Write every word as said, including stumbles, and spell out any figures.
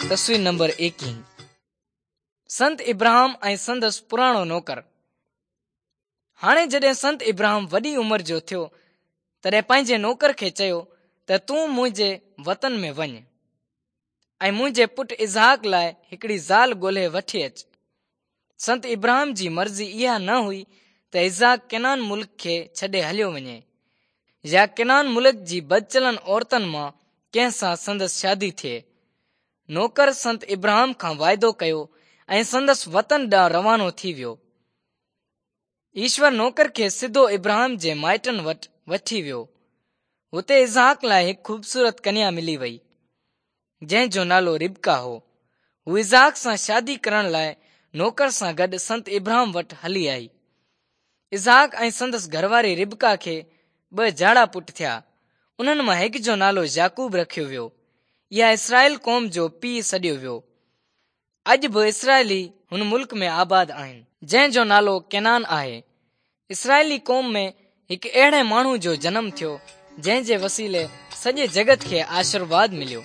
تصوير نمبر ايڪيهه. سنت ابراهام ۽ سندس پراڻو نوڪر. هاڻي جڏهن سنت ابراهام وڏي عمر جو ٿيو، تڏهن پنهنجي نوڪر کي چيو ته تون منهنجي وطن ۾ وڃ ۽ منهنجي پٽ اسحاق لاءِ هڪڙي زال ڳولهي وٺي اچ. سنت ابراهام جي مرضي اها نه هئي ته اسحاق ڪنعان ملڪ کي ڇڏي هليو وڃي يا ڪنعان ملڪ جي بدچلن عورتن مان ڪنهن سان سندس شادي ٿئي. نوڪر سنت ابراهام کان واعدو ڪيو ۽ سندس وطن ڏانهن روانو ٿي ويو. ايشور نوڪر کي سڌو ابراهام جي مائٽن وٽ وٺي ويو. هتي اسحاق لاءِ هڪ خوبصورت ڪنيا ملي وئي، جنهن جو نالو ربقه هو. هو اسحاق سان شادي ڪرڻ لاءِ نوڪر سان گڏ سنت ابراهام وٽ هلي آئي. اسحاق ۽ سندس گهرواري ربقه کي ٻه جاڙا پٽ ٿيا. انهن مان هڪ جو نالو يعقوب رکيو ويو. اها اسرائيل قوم جو پيءُ سڏيو ويو. اڄ به اسرائيلي هن ملڪ ۾ آباد آهن، جنهن جو نالو ڪنعان آهي. اسرائيلي قوم ۾ هڪ اهڙي ماڻهو جو جنم ٿيو، جنهن جي وسيلي سڄي جڳت کي آشيرواد مليو.